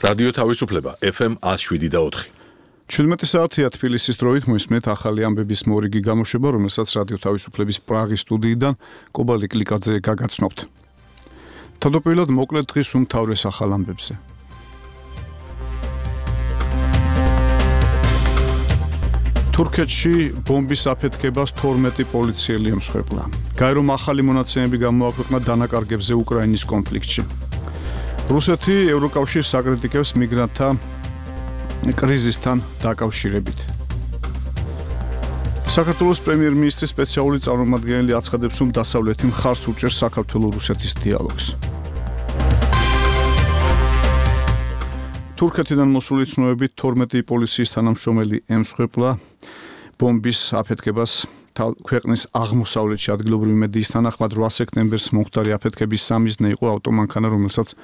რადიო თავისუფლება FM 107.4. 17 საათია თბილისის დროით მოისმენთ ახალი ამბების მორიგი გამოშვება, რომელსაც რადიო თავისუფლების პრაღის სტუდიიდან კობალი კლიკაძე გაგაცნობთ. თავდაპირველად მოკლედ დღის უმთავრეს ახალ ამბებზე. თურქეთში ბომბის აფეთქებას 12 პოლიციელი ემსხვერპლა. გაერომ ახალი მონაცემები გამოაქვეყნა დანაკარგებზე უკრაინის კონფლიქტში. რუსეთი ევროკავშირს აკრიტიკებს მიგრანტთა კრიზისთან დაკავშირებით. საქართველოს პრემიერ-მინისტრის სპეციალური წარმომადგენელი აცხადებს, რომ დასავლეთი მხარს უჭერს საქართველო-რუსეთის დიალოგს. თურქეთიდან მოსული ცნობებით 12 პოლიციის თანამშრომელი ემსხვერპლა ბომბის აფეთქებას ქვეყნის აღმოსავლეთში ადგილობრივი მედიის თანახმად 8 სექტემბერს მომხდარი აფეთქების სამიზნე იყო ავტომანქანა, რომელსაც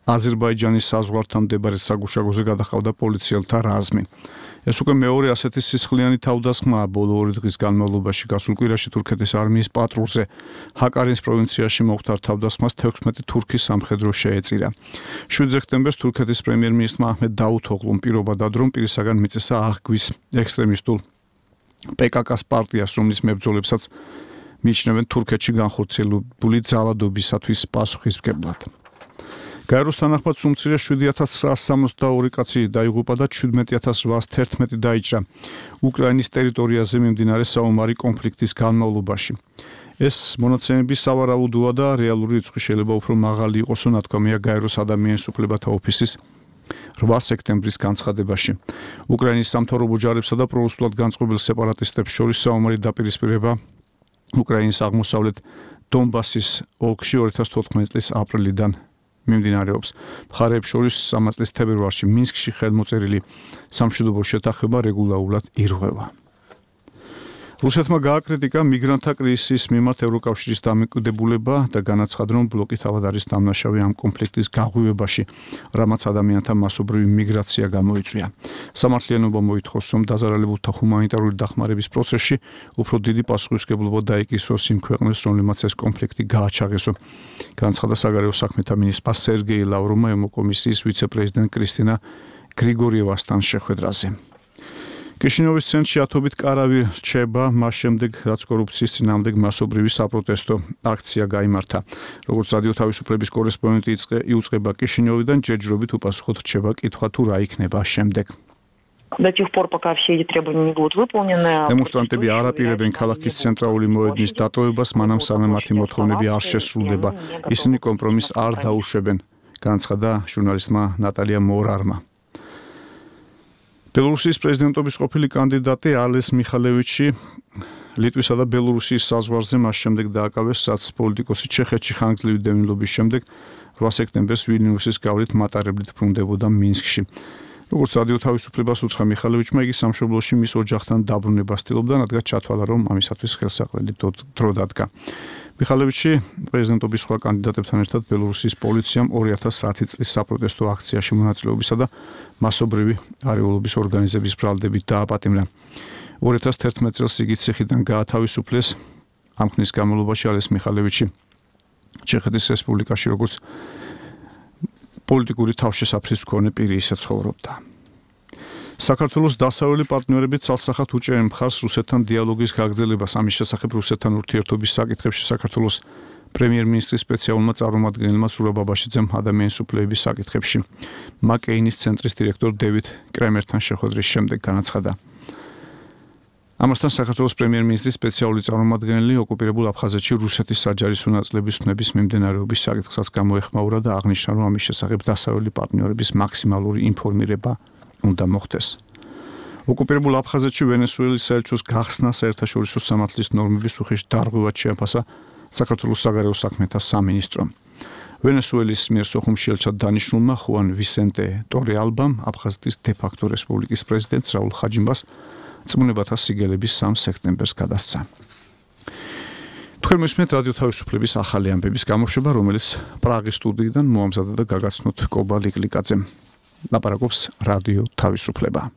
აზერბაიჯანის საზღვართან მდებარე საგუშაგოზე გადაჰყავდა პოლიციელთა რაზმი. ეს უკვე მეორე ასეთი სისხლიანი თავდასხმაა ბოლო 2 დღის განმავლობაში. გასულ კვირაში თურქეთის არმიის პატრულზე ჰაკარიის პროვინციაში მომხდარ თავდასხმას 16 თურქის სამხედრო შეეწირა. 7 სექტემბერს თურქეთის პრემიერ-მინისტრმა აჰმედ დავუთოღლუმ პირობა დადო, რომ პირისაგან მიწესა აღგვის ექსტრემისტულ PKK-ს პარტიას, რომლის მებრძოლებსაც მიიჩნევენ თურქეთში განხორციელებული ძალადობისათვის პასუხისმგებლად. გაეროს თანახმად სუმცირე 7962 კაცი დაიღუპა და 17811 დაიჭრა უკრაინის ტერიტორიაზე მიმდინარე საომარი კონფლიქტის განმავლობაში. ეს მონაცემები სავარაუდოა და რეალური რიცხვი შეიძლება უფრო მაღალი იყოსო, ნათქვამია გაეროს ადამიანის უფლებათა ოფისის 8 სექტემბრის განცხადებაში. უკრაინის სამთავრობო ჯარებსა და პრორუსულად განწყობილ სეპარატისტებს შორის საომარი დაპირისპირება უკრაინის აღმოსავლეთ დონბასის ოლქში 2014 წლის აპრილიდან მიმდინარეობს. მხარეებს შორის 3 წლის თებერვალში მინსკში ხელმოწერილი სამშვიდობო შეთანხმება რეგულარულად ირღვევა. რუსეთმა გააკრიტიკა მიგრანტთა კრიზისის მიმართ ევროკავშირის დამოკიდებულება და განაცხადა, რომ ბლოკი თავად არის დამნაშავე ამ კონფლიქტის გაღვივებაში, რამაც ადამიანთა მასობრივი მიგრაცია გამოიწვია. სამართლიანობა მოითხოვს, რომ დაზარალებულთა ჰუმანიტარული დახმარების პროცესში უფრო დიდი პასუხისმგებლობა დაიკისროს იმ ქვეყნებს, რომლებმაც ეს კონფლიქტი გააჩაღესო. განაცხადა საგარეო საქმეთა მინისტრმა სერგეი ლავროვმა ევროკომისიის ვიცე-პრეზიდენტ კრისტინა გრიგორიევასთან შეხვედრაზე. კიშინიოვის ცენტრში ათობით კარავი რჩება მას შემდეგ, რაც კორუფციის წინააღმდეგ მასობრივი საპროტესტო აქცია გაიმართა. როგორც რადიო თავისუფლების კორესპონდენტი იუწყება კიშინიოვიდან, ჯერჯერობით უპასუხოდ რჩება კითხვა, თუ რა იქნება შემდეგ. До тех пор, пока все эти требования не будут выполнены. დემონსტრანტები არ აპირებენ ქალაქის ცენტრალური მოედნის დატოვებას, მანამ სანამ მათი მოთხოვნები არ შესრულდება. ისინი კომპრომისს არ დაუშვებენ, განაცხადა ჟურნალისტმა ნატალია მორარმა. ბელორუსიის პრეზიდენტობის ყოფილი კანდიდატი ალეს მიხალევიჩი ლიტვისა და ბელორუსიის საზღვარზე მას შემდეგ დააკავეს, რაც პოლიტიკოსი ჩეხეთში ხანგრძლივი დევნილობის შემდეგ 8 სექტემბერს ვილნიუსის გავლით მატარებლით ბრუნდებოდა მინსკში. როგორც რადიო თავისუფლებას უთხრა მიხალევიჩმა, იგი სამშობლოში მის ოჯახთან დაბრუნებას ცდილობდა, რადგან ჩათვალა, რომ ამისათვის ხელსაყრელი დრო დადგა. მიხალევიჩი პრეზიდენტობის სხვა კანდიდატებთან ერთად ბელორუსიის პოლიციამ 2010 წლის საპროტესტო აქციაში მონაწილეობისა და მასობრივი არეულობის ორგანიზების ბრალდებით დააპატიმრა. 2011 წელს იგი ციხიდან გაათავისუფლეს. ამ ხნის განმავლობაში ალეს მიხალევიჩი ჩეხეთის რესპუბლიკაში როგორც პოლიტიკური თავშესაფრის მქონე პირი ისე ცხოვრობდა. საქართველოს დასავლელი პარტნიორები ცალსახად უჭერენ მხარს რუსეთთან დიალოგის გაგრძელებას. ამის შესახებ რუსეთთან ურთიერთობის საკითხებში საქართველოს პრემიერ-მინისტრის სპეციალურმა წარმომადგენელმა სურა ბაბაშიძემ ადამიანის უფლებების საკითხებში მაკეინის ცენტრის დირექტორ დევიდ კრემერთან შეხვედრის შემდეგ განაცხადა. ამასთან საქართველოს პრემიერ-მინისტრის სპეციალური წარმომადგენელი ოკუპირებულ აფხაზეთში რუსეთის საჯარისო ნაწილების თნების მიმდინარეობის საკითხსაც გამოეხმაურა და აღნიშნა, რომ ამის შესახებ დასავლელი პარტნიორების მაქსიმალური ინფორმირება უნდა მოხდეს. ოკუპირებულ აფხაზეთში ვენესუელის საელჩოს გახსნა საერთაშორისო სამართლის ნორმების უხეშ დარღვევად შეაფასა საქართველოს საგარეო საქმეთა სამინისტრომ. ვენესუელის მიერ სოხუმში ელჩად დანიშნულმა ხუან ვისენტე ტორეალბამ აფხაზეთის დე-ფაქტო რესპუბლიკის პრეზიდენტს რაულ ხაჯიმბას წმუნებათა სიგელების 3 სექტემბერს გადასცა. თქვენ მოსმენთ რადიო თავისუფლების ახალი ამბების გამოშვება, რომელიც პრაღის სტუდიიდან მოამზადა და გაგაცნოთ კობალი კლიკაძემ. ლაპარაკობს რადიო თავისუფლება.